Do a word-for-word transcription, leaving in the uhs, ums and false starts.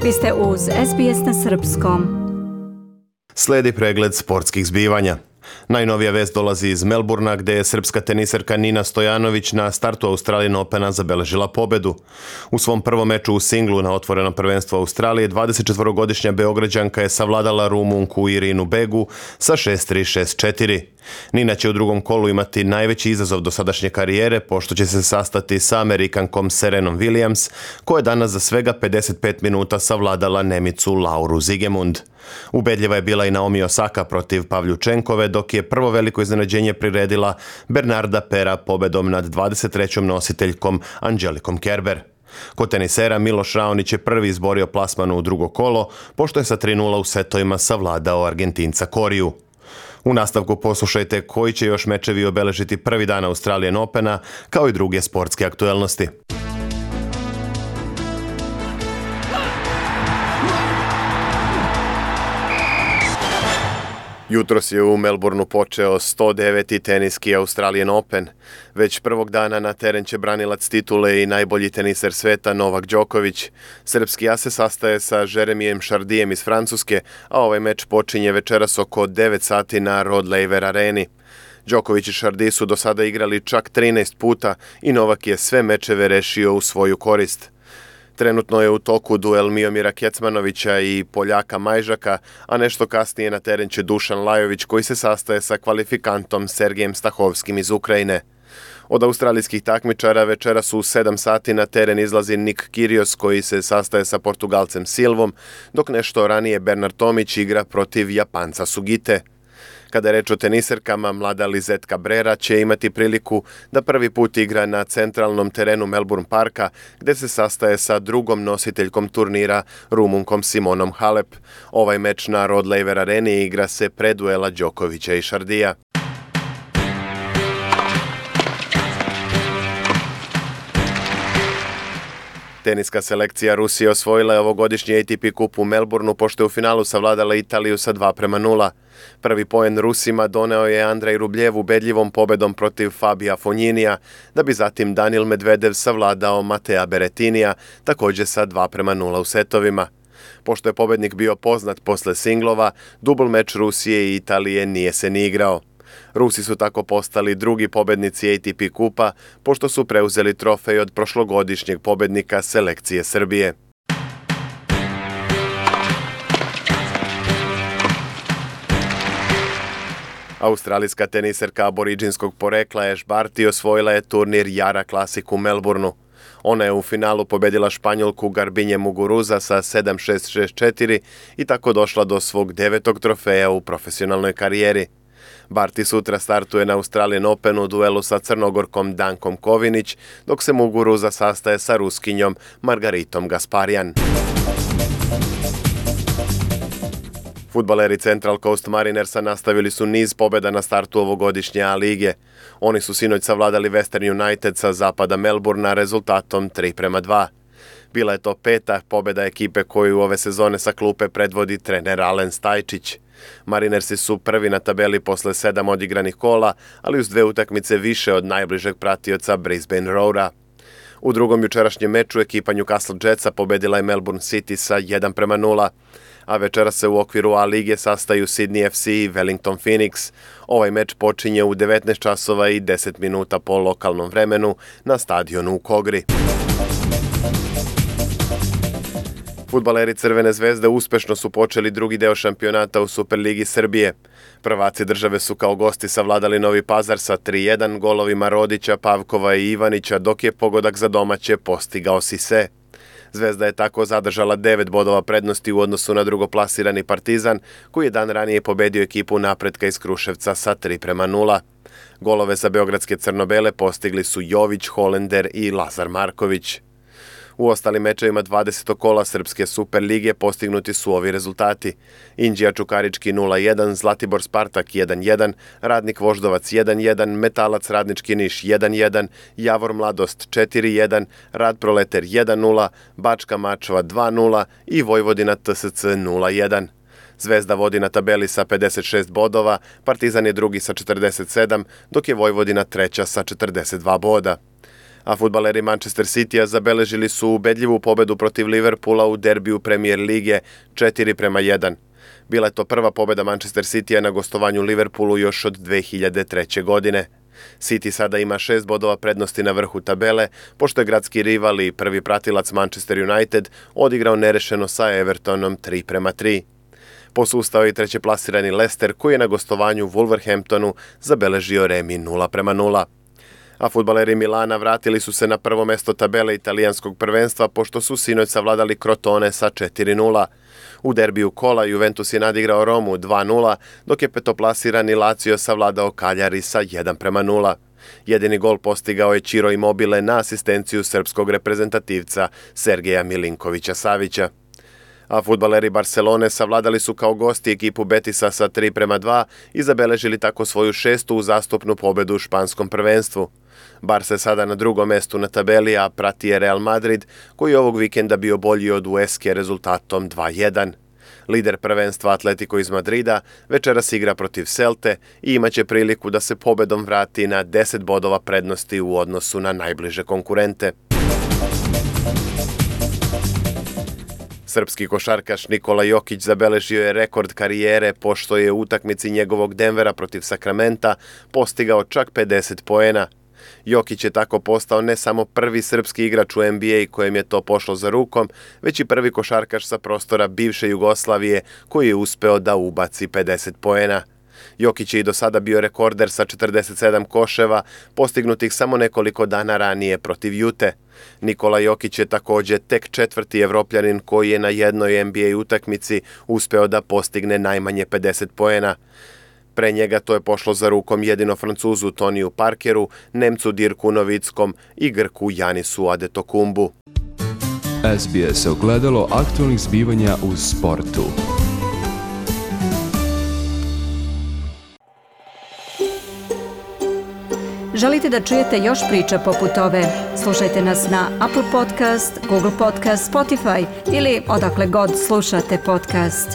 Vi ste uz S B S na srpskom. Sledi pregled sportskih zbivanja. Najnovija vest dolazi iz Melburna, gdje je srpska teniserka Nina Stojanović na startu Australian Opena zabeležila pobedu. U svom prvom meču u singlu na otvorenom prvenstvu Australije dvadesetčetvorogodišnja Beograđanka je savladala Rumunku Irinu Begu sa šest tri šest četiri. Nina će u drugom kolu imati najveći izazov do sadašnje karijere, pošto će se sastati sa Amerikankom Serenom Williams, koja je danas za svega pedeset pet minuta savladala Nemicu Lauru Zigemund. Ubedljiva je bila i Naomi Osaka protiv Pavljučenkove, dok je prvo veliko iznenađenje priredila Bernarda Pera pobedom nad dvadeset trećom nositeljkom Angelikom Kerber. Kod tenisera Miloš Raonić je prvi izborio plasman u drugo kolo, pošto je sa tri nula u setovima savladao Argentinca Koriju. U nastavku poslušajte koji će još mečevi obeležiti prvi dan Australian Opena, kao i druge sportske aktuelnosti. Jutros je u Melbourneu počeo sto deveti teniski Australian Open. Već prvog dana na teren će branilac titule i najbolji teniser sveta Novak Đoković. Srpski as se sastaje sa Jeremijem Chardijem iz Francuske, a ovaj meč počinje večeras oko devet sati na Rod Laver areni. Đoković i Chardy su do sada igrali čak trinaest puta i Novak je sve mečeve rešio u svoju korist. Trenutno je u toku duel Miomira Kecmanovića i Poljaka Majžaka, a nešto kasnije na teren će Dušan Lajović, koji se sastaje sa kvalifikantom Sergejem Stahovskim iz Ukrajine. Od australijskih takmičara večeras u sedam sati na teren izlazi Nik Kyrgios, koji se sastaje sa Portugalcem Silvom, dok nešto ranije Bernard Tomić igra protiv Japanca Sugite. Kada je reč o teniserkama, mlada Lizette Cabrera će imati priliku da prvi put igra na centralnom terenu Melbourne Parka, gdje se sastaje sa drugom nositeljkom turnira, Rumunkom Simonom Halep. Ovaj meč na Rod Laver areni igra se pre duela Đokovića i Chardija. Teniska selekcija Rusije osvojila je ovogodišnji A T P kup u Melbourneu, pošto je u finalu savladala Italiju sa dva prema nula. Prvi poen Rusima doneo je Andrej Rubljev ubedljivom pobedom protiv Fabija Fogninija, da bi zatim Danil Medvedev savladao Matea Berettinija, također sa dva prema nula u setovima. Pošto je pobednik bio poznat posle singlova, dubl meč Rusije i Italije nije se ni igrao. Rusi su tako postali drugi pobednici A T P kupa, pošto su preuzeli trofej od prošlogodišnjeg pobednika selekcije Srbije. Australijska teniserka aboriđinskog porekla Ash Barty osvojila je turnir Jara Classic u Melbourneu. Ona je u finalu pobedila Španjolku Garbinje Muguruza sa sedam šest šest četiri i tako došla do svog devetog trofeja u profesionalnoj karijeri. Barty sutra startuje na Australian Openu u duelu sa Crnogorkom Dankom Kovinić, dok se Muguruza sastaje sa Ruskinjom Margaritom Gasparjan. Fudbaleri Central Coast Marinersa nastavili su niz pobjeda na startu ovogodišnje A lige. Oni su sinoć savladali Western United sa zapada Melbourna rezultatom tri prema dva. Bila je to peta pobjeda ekipe koju ove sezone sa klupe predvodi trener Alen Stajčić. Marinersi su prvi na tabeli posle sedam odigranih kola, ali uz dve utakmice više od najbližeg pratioca Brisbane Roara. U drugom jučerašnjem meču ekipa Newcastle Jetsa pobedila je Melbourne City sa jedan prema nula, a večera se u okviru A lige sastaju Sydney F C i Wellington Phoenix. Ovaj meč počinje u devetnaest časova i deset minuta po lokalnom vremenu na stadionu u Kogri. Fudbaleri Crvene zvezde uspešno su počeli drugi deo šampionata u Superligi Srbije. Prvaci države su kao gosti savladali Novi Pazar sa tri jedan golovima Rodića, Pavkova i Ivanića, dok je pogodak za domaće postigao Sise. Zvezda je tako zadržala devet bodova prednosti u odnosu na drugoplasirani Partizan, koji je dan ranije pobedio ekipu Napretka iz Kruševca sa tri prema nula. Golove za beogradske crno-bele postigli su Jović, Holender i Lazar Marković. U ostalim mečevima dvadesetog kola Srpske Superlige postignuti su ovi rezultati: Inđija Čukarički nula jedan, Zlatibor Spartak jedan jedan, Radnik Voždovac jedan jedan, Metalac Radnički Niš jedan jedan, Javor Mladost četiri jedan, Rad Proleter jedan nula, Bačka Mačva dva nula i Vojvodina T S C nula jedan. Zvezda vodi na tabeli sa pedeset šest bodova, Partizan je drugi sa četrdeset sedam, dok je Vojvodina treća sa četrdeset dva boda. A fudbaleri Manchester Citya zabeležili su ubedljivu pobedu protiv Liverpoola u derbiju Premier lige četiri prema jedan. Bila je to prva pobeda Manchester Citya na gostovanju Liverpoolu još od dve hiljade treće. godine. City sada ima šest bodova prednosti na vrhu tabele, pošto je gradski rival i prvi pratilac Manchester United odigrao nerešeno sa Evertonom tri prema tri. Posustao je i trećeplasirani Leicester koji je na gostovanju Wolverhamptonu zabeležio remi nula prema nula. A fudbaleri Milana vratili su se na prvo mesto tabele italijanskog prvenstva pošto su sinoć savladali Crotone sa četiri nula. U derbiju kola Juventus je nadigrao Romu dva nula, dok je petoplasirani Lazio savladao Cagliari sa jedan prema nula. Jedini gol postigao je Ciro Immobile na asistenciju srpskog reprezentativca Sergeja Milinkovića Savića. A fudbaleri Barcelone savladali su kao gosti ekipu Betisa sa tri prema dva i zabeležili tako svoju šestu uzastopnu pobedu u španskom prvenstvu. Barca je sada na drugom mestu na tabeli, a prati je Real Madrid, koji je ovog vikenda bio bolji od Ueske rezultatom dva jedan. Lider prvenstva Atletico iz Madrida večeras igra protiv Celte i imaće priliku da se pobedom vrati na deset bodova prednosti u odnosu na najbliže konkurente. Srpski košarkaš Nikola Jokić zabeležio je rekord karijere pošto je u utakmici njegovog Denvera protiv Sakramenta postigao čak pedeset poena. Jokić je tako postao ne samo prvi srpski igrač u N B A kojem je to pošlo za rukom, već i prvi košarkaš sa prostora bivše Jugoslavije koji je uspeo da ubaci pedeset poena. Jokić je i do sada bio rekorder sa četrdeset sedam koševa, postignutih samo nekoliko dana ranije protiv Jute. Nikola Jokić je također tek četvrti Evropljanin koji je na jednoj N B A utakmici uspeo da postigne najmanje pedeset poena. Pre njega to je pošlo za rukom jedino Francuzu Toniju Parkeru, Nemcu Dirku Novickom i Grku Janisu Adetokumbu. S B S ogledalo aktualnih zbivanja u sportu. Želite da čujete još priča poput ove? Slušajte nas na Apple Podcast, Google Podcast, Spotify ili odakle god slušate podcast.